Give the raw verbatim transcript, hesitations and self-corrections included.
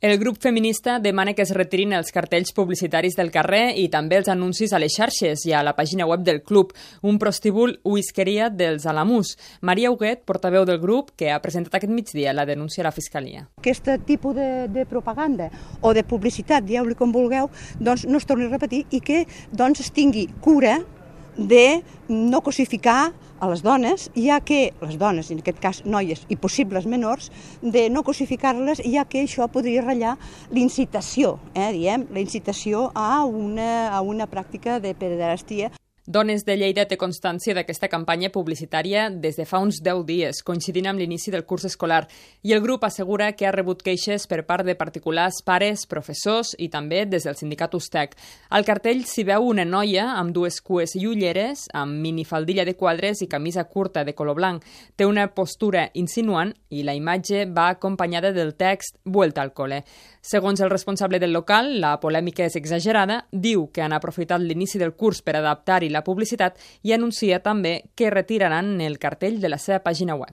El grup feminista demana que es retirin els cartells publicitaris del carrer i també els anuncis a les xarxes i a la pàgina web del club, un prostíbul whiskeria dels Alamús. Maria Huguet, portaveu del grup, que ha presentat aquest migdia la denúncia a la Fiscalia. Aquest tipus de, de propaganda o de publicitat, dieu-li com vulgueu, doncs no es torni a repetir i que doncs, es tingui cura de no cosificar a les dones, ja que les dones, en aquest cas noies i possibles menors, de no cosificar-les, ja que això podria ratllar l'incitació, eh, diem, la incitació a una, a una pràctica de pederàstia. Dones de Lleida té constància d'aquesta campanya publicitària des de fa uns deu dies, coincidint amb l'inici del curs escolar, i el grup assegura que ha rebut queixes per part de particulars, pares, professors i també des del sindicat Ustec. Al cartell s'hi veu una noia amb dues cues i ulleres, amb minifaldilla de quadres i camisa curta de color blanc. Té una postura insinuant i la imatge va acompanyada del text «Vuelta al cole». Segons el responsable del local, la polèmica és exagerada, diu que han aprofitat l'inici del curs per adaptar-hi la publicitat i anuncia també que retiraran el cartell de la seva pàgina web.